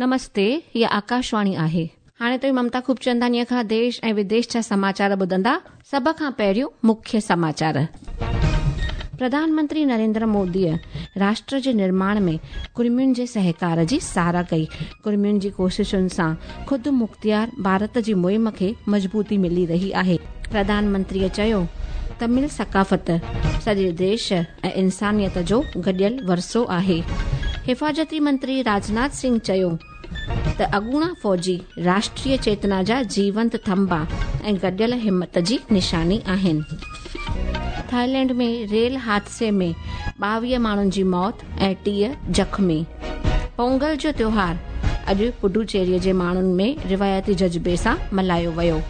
نمستي، هيء آڪاشواڻي آهي. هاڻي توهين ممتا خوبچنداڻيء کان ديش ۽ وديش جا سماچار ٻڌندا. سڀ کان پهريون مکيه سماچار. پرڌان منتري نريندر موديء راشٽر جي نرماڻ ۾ ڪڙمين جي سهڪار جي ساراهه ڪئي. ڪڙمين جي ڪوششن سان خود مختيار ڀارت جي مهم کي مضبوطي ملي رهي آهي. پرڌان منتريء چيو، تمل ثقافت سڄي ديش ۽ انسانيت جو گڏيل ورثو آهي. حفاظتي منتري راجناٿ سنگهه چيو ته اڳوڻا فوجي راشٽريه چيتنا جا جيونت ٿنڀا ۽ گڏيل همت جي نشاني آهن. ٿائيلينڊ ۾ ريل حادثي ۾ 22 ماڻهن جي موت ۽ 30 زخمي. پونگل جو تيوهار اڄ پڊوچيري جي ماڻهن ۾ روايتي جذبي سان ملهايو ويو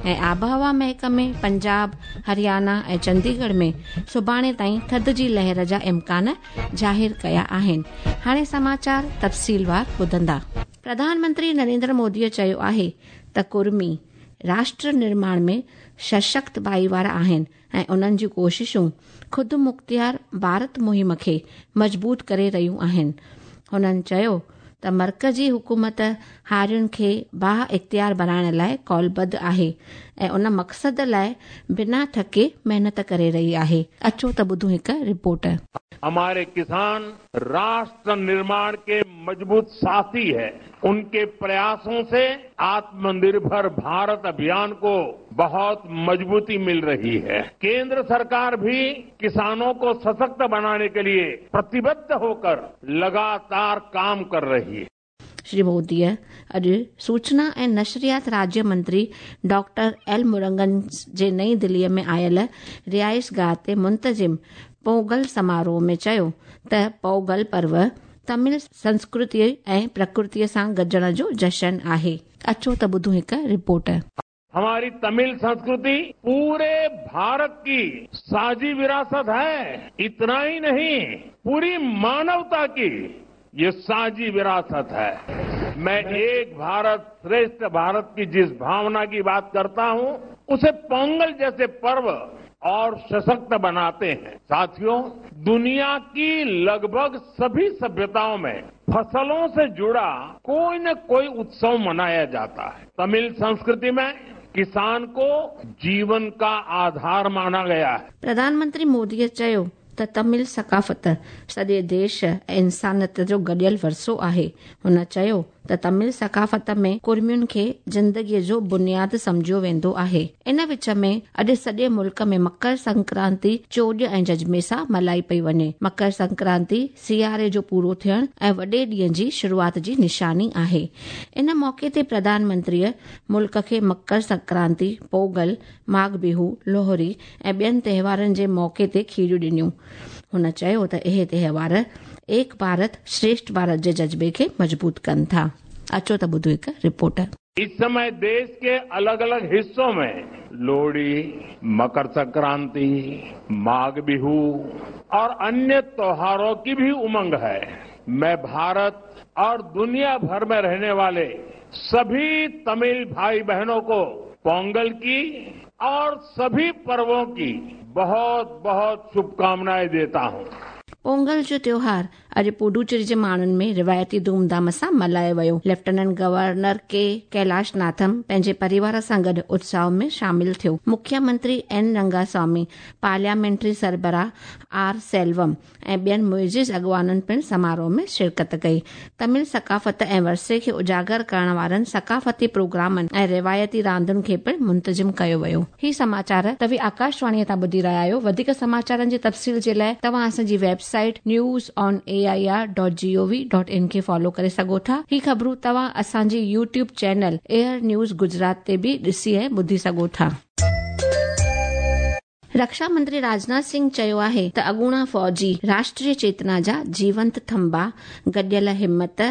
۽ آبهوا محڪمي پنجاب، هريانا ۽ چنديڳڙهه ۾ سڀاڻي تائين ٿڌ جي لهر جا امڪان ظاهر ڪيا آهن. هاڻي سماچار تفصيلوار ٻڌندا. پرڌان منتري نريندر موديء چيو آهي ته ڪڙمي راشٽر نرماڻ ۾ سشڪت ڀائيوار آهن ۽ انهن جون ڪوششون خودمختيار ڀارت مهم کي مضبوط ڪري رهيون آهن. هنن چيو ته مرڪزي حڪومت هارين کي بااختيار بڻائڻ لاء قولبڌ آهي ۽ ان مقصد لاء بنا ٿڪي محنت ڪري رهي آهي. اچو ته ٻڌون هڪ رپورٽ. هماري ڪسان راشٽر نرماڻ ڪي مضبوط ساٿي هي، انڪي پرياسون سي آتم نرڀر ڀارت اڀيان ڪو بهت مضبوطي مل رهي هي. ڪيندر سرڪار ڀي ڪسانون ڪو سشڪت بناني ڪي ليي پرتيبڌ هوڪر لڳاتار ڪام ڪر رهي هي. شري موديء اڄ سوچنا ۽ نشريات راجيه منتري ڊاڪٽر ايل مرگن جي نئين دليء ۾ آيل رهائشگاهه تي منتظم پونگل سماروهه ۾ چيو ته پونگل پرو تمل سنسڪرتي ۽ پرڪرتيء سان گڏجڻ جو جشن آهي. اچو ته ٻڌون هڪ رپورٽ. هماري تمل سنسڪرتي پوري ڀارت ڪي ساجهي وراثت هي، اتنا هي نهين پوري مانوتا ڪي يه ساجهي وراثت هي. مين ايڪ ڀارت شريشٺ ڀارت ڪي جس ڀاونا ڪي بات ڪرتا هون اسي پونگل جيسي پرو اور سشڪت بناتي هين. ساٿيو دنيا ڪي لڳ ڀڳ سڀي سڀيتائون مين فصلون سي جڙا ڪوئي نه ڪوئي اتسو منايا جاتا هي. تمل سنسڪرتي ۾ ڪسان ڪو جيون ڪا آڌار مانا گيا هي. پرڌان منتري موديء چيو ته تمل ثقافت سڄي ديش ۽ انسانيت جو گڏيل ورثو آهي. هن چيو ته تمل ثقافت ۾ ڪڙمين کي زندگيء جو بنياد سمجهيو ويندو آهي. ان وچ ۾ اڄ سڄي ملڪ ۾ مڪر سنڪرانتي چوڄ ۽ جذبي سان ملهائي پئي وڃي. مڪر سنڪرانتي سياري جو پورو ٿيڻ ۽ وڏي ڏينهن جي شروعات جي نشاني آهي. ان موقعي تي پرڌان منتريء ملڪ کي مڪر سنڪرانتي، پونگل، ماگهه بيهو، لوهري ۽ ٻين تهوارن جي موقعي تي کيريون ڏنيون. هن چيو ته اهي تهوار ايڪ ڀارت شريشٺ ڀارت جي جذبي کي مضبوط ڪن ٿا. اچو ته ٻڌون هڪ رپورٽ. اس سمي ديش ڪي الڳ الڳ حصون مين لوهڙي، مڪر سنڪرانتي، ماگهه بيهو اور انيه تيوهارون ڪي ڀي امنگ هي. مين ڀارت اور دنيا ڀر مين رهني والي سڀي تمل ڀائي بهنون ڪو پونگل ڪي اور سڀي پروون ڪي بهت بهت شڀڪامنائين ديتا هون. پونگل جو تيوهار اڄ پڊوچيري جي ماڻهن ۾ روايتي ڌوم ڌام سان ملهايو ويو. ليفٽيننٽ گورنر ڪي ڪيلاش ناٿم پنهنجي پريوار سان گڏ اتساء ۾ شامل ٿيو. مکيه منتري اين رنگاسوامي، پارليامينٽري سربراهه آر سيلوم ۽ ٻين معزز اڳواڻن پڻ سماروهه ۾ شرڪت ڪئي. تمل ثقافت ۽ ورثي کي اجاگر ڪرڻ وارن ثقافتي پروگرامن ۽ روايتي راندن کي پڻ منتظم ڪيو ويو. هي سماچار توهين آڪاشواڻيء تان ٻڌي رهيا آهيو. وڌيڪ سماچارن جي تفصيل جي لاء توهان اسان جي website news on A I R dot G O V dot in کي فالو ڪري سگهو ٿا. هي خبرون توهان اسان جي YouTube channel AIR news Gujarat تي به ڏسي ۽ ٻڌي سگهو ٿا. رڪشا منتري راجناٿ سنگهه چيو آهي ته اڳوڻا فوجي راشٽريه چيتنا جا جيونت ٿنڀا، گڏيل همت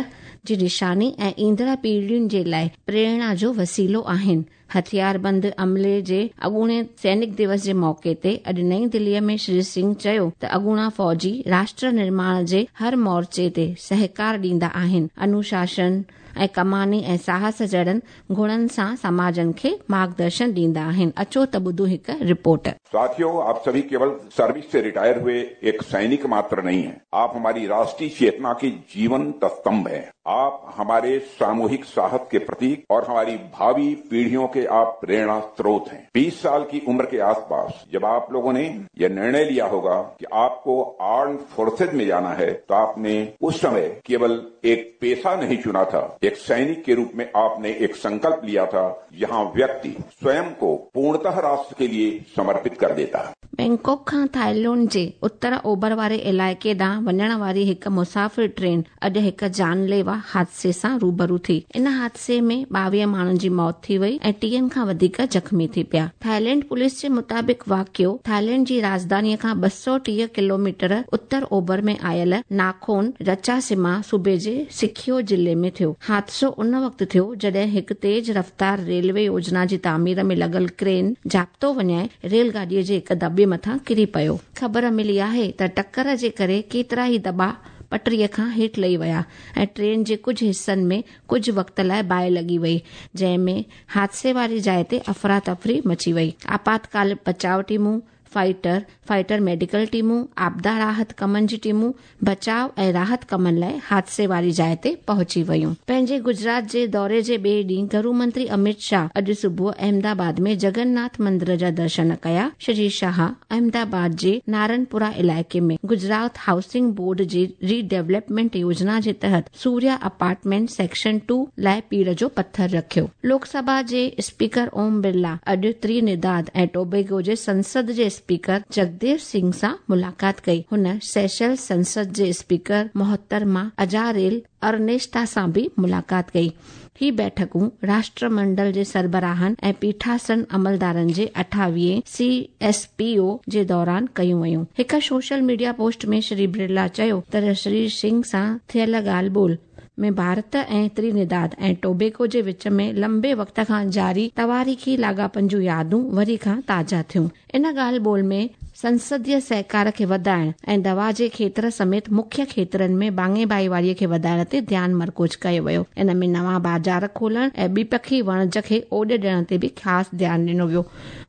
جي نشاني ۽ ايندڙ پيڙهين جي لاء پريرڻا جو وسيلو آهن. هٿياربند عملي جي اڳوڻي سينڪ دوس جي موقعي تي اڄ نئين دلي ۾ شري سنگهه چيو ته اڳوڻا فوجي راشٽر نرماڻ جي هر مورچي تي سهڪار ڏيندا آهن، انوشاسن ۽ ڪماني ۽ ساهس جهڙن گڻن سان سماجن کي مارگدرشن ڏيندا آهن. اچو ته ٻڌون هڪ رپورٽ. ساٿيو آپ سڀي ڪيول سروس سي ريٽائر هئي ايڪ سينڪ ماتر نهين هين آپ هماري راشٽري چيتنا ڪي جيونت استنڀ هين. आप हमारे सामूहिक साहस के प्रतीक और हमारी भावी पीढ़ियों के आप प्रेरणा स्रोत हैं। 20 साल की उम्र के आसपास जब आप लोगों ने यह निर्णय लिया होगा कि आपको आर्म्ड फोर्सेज में जाना है, तो आपने उस समय केवल एक पेशा नहीं चुना था, एक सैनिक के रूप में आपने एक संकल्प लिया था, जहां व्यक्ति स्वयं को पूर्णतः राष्ट्र के लिए समर्पित कर देता है। बैंकॉक खां थाईलैंड जे उत्तर ओभर वारे इलाइक़े ॾांहुं वञण वारी हिकु मुसाफ़िर ट्रेन अॼु हिकु जानलेवा हादसे सां रूबरू थी। इन हादसे में 22 माण्हुनि जी मौत थी वई ऐं 30 खां वधीक ज़ख़्मी थी पिया। थाईलैंड पुलिस जे मुताबिक़ वाक़ियो थाईलैंड जी राजधानीअ खां 230 किलोमीटर उत्तर ओभर में आयल नाखोन रचासिमा सूबे जे सिखियो ज़िले में थियो। हादसो उन वक़्तु थियो जॾहिं हिकु तेज़ रफ़्तार रेलवे योजना जी तामीर में लॻल क्रेन ज़ाब्तो वञाए रेलगाॾीअ जे हिकु दॿे मथां किरी पियो। ख़बर मिली आहे त टक्कर जे करे केतिरा ई दॿा पटरीअ खां हेठि लही विया ऐं ट्रेन जे कुझु हिसनि में कुझु वक़्त लाइ बाहि लॻी वई, जंहिं में हादसे वारी जाइ ते अफ़रा तफ़री मची वई। आपातकाल बचाव टीमूं, फाइटर मेडिकल टीमूं, आपदा राहत कमनि जी टीमूं बचाव ऐं राहत कमनि लाइ हादसे वारी जाइ ते पहुची वयूं। पंहिंजे गुजरात जे दौरे जे ॿिए ॾींहुं घरू मंत्री अमित शाह अॼु सुबुह अहमदाबाद में जगन्नाथ मंदिर जा दर्शन कया। श्री शाह अहमदाबाद जे नारनपुरा इलाइक़े में गुजरात हाउसिंग बोर्ड जी रीडेवलपमेंट योजना जे तहत सूर्या अपार्टमेंट सेक्शन 2 लाइ पीड़ जो पथर रखियो। लोकसभा जे स्पीकर ओम बिरला अॼु त्रिनिदाद ऐं टोबैगो जे संसद जे स्पीकर जगदेव सिंह सां मुलाक़ात कई। हुन सेशल संसद जे स्पीकर मोहतरमा अजारेल अर्नेस्टा सां बि मुलाक़ात कई। ही बैठकूं राष्ट्रमंडल जे सरबराहनि ऐं पीठासन अमलदारनि जे 28वें CSPO जे दौरान कयूं वयूं। हिकु सोशल मीडिया पोस्ट में श्री बिरला चयो त श्री सिंह सां थियल ॻाल्हि ॿोल में भारत ऐं त्रिनिदाद ऐं टोबैगो जे विच में लंबे वक़्त खां जारी तवारीख़ी लाॻापनि जूं यादूं वरी खां ताज़ा थियूं। इन ॻाल्हि ॿोल में संसदीय सहकार खे वधाइण ऐं दवा जे खेतर समेत मुख्य खेतरनि में बाङे भाईवारीअ खे वधाइण ते ध्यानु मरकूज़ कयो वियो। इन में नवां बाज़ार खोलण ऐं ॿिपखी वणज खे ओॾ ॾियण ते बि ख़ासि ध्यानु ॾिनो वियो।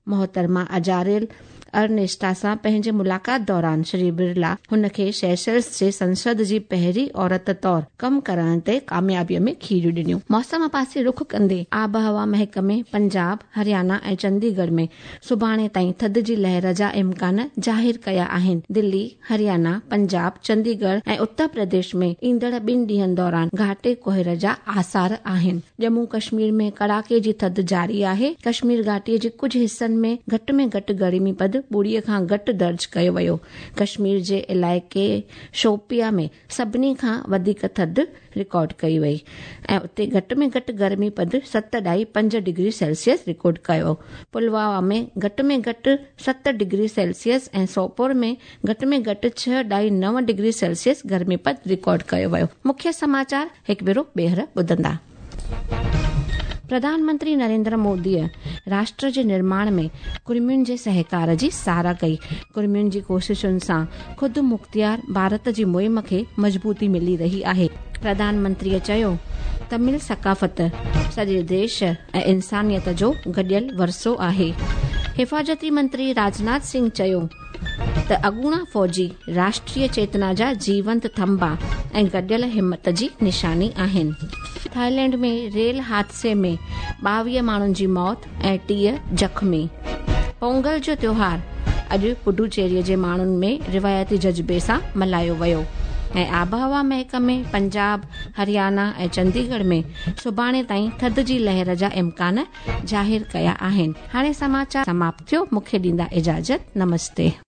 मोहतरमा अजारेल अर्नेस्टा सां पंहिंजे मुलाक़ात दौरान श्री बिरला हुनखे सेशल्स जे संसद जी पहिरीं औरत तौर कमु करण ते कामयाबीअ में खीरियूं ॾिनियूं। मौसम पासे रुख कंदे आबहवा महकमे पंजाब, हरियाणा ऐं चंडीगढ़ में सुभाणे ताईं थधि जी लहर जा इम्कान ज़ाहिर कया आहिनि। दिल्ली, हरियाणा, पंजाब, चंडीगढ़ ऐं उत्तर प्रदेश में ईंदड़ 2 ॾींहनि दौरान घाटे कोहर जा आसार आहिनि। जम्मू कश्मीर में कड़ाके जी थधि जारी आहे। कश्मीर घाटीअ जे कुझु हिसनि में घटि में घटि गर्मी पद 2 खां घटि दर्ज कयो वियो। कश्मीर जे इलाइक़े शोपिया में सभिनी खां वधीक थधि रिकॉर्ड कई वई ऐं उते घटि में घटि गर्मी पद 7.5 डिग्री सेल्सियस रिकॉर्ड कयो। पुलवामा में घटि में घटि 7 डिग्री सेल्सियस ऐं सोपोर में घटि में घटि 6.9 डिग्री सेल्सियस गर्मी पद रिकॉर्ड कयो वियो। मुख्य समाचार हिकु भेरो ॿीहर ॿुधंदा। प्रधानमंत्री नरेंद्र मोदीअ राष्ट्र जे निर्माण में कुर्मियुनि जे सहकार जी सराह कई। कुर्मियुनि जी कोशिशुनि सां ख़ुदि मुख़्तियार भारत जी मुहिम खे मज़बूती मिली रही आहे। प्रधानमंत्रीअ चयो तमिल सकाफ़त सॼे देश ऐं इंसानियत जो गॾियल वरसो आहे। हिफाज़ती मंत्री राजनाथ सिंह चयो त अॻूणा फ़ौजी राष्ट्रीय चेतना जा जीवंत थंबा ऐं गॾियल हिमत जी निशानी आहिनि। थाईलैंड में रेल हादसे में 22 माण्हुनि जी मौत ऐं 30 ज़ख़्मी। पोंगल जो त्योहार अॼु पुडुचेरीअ जे माण्हुनि में रिवायती जज़्बे सां मल्हायो वियो। ऐं आबहवा महकमे पंजाब, हरियाणा ऐं चंडीगढ़ में सुभाणे ताईं थधि जी लहर जा इम्कान ज़ाहिर कया आहिनि। हाणे समाचार समाप्त थियो। मूंखे ॾींदा इजाज़त। नमस्ते।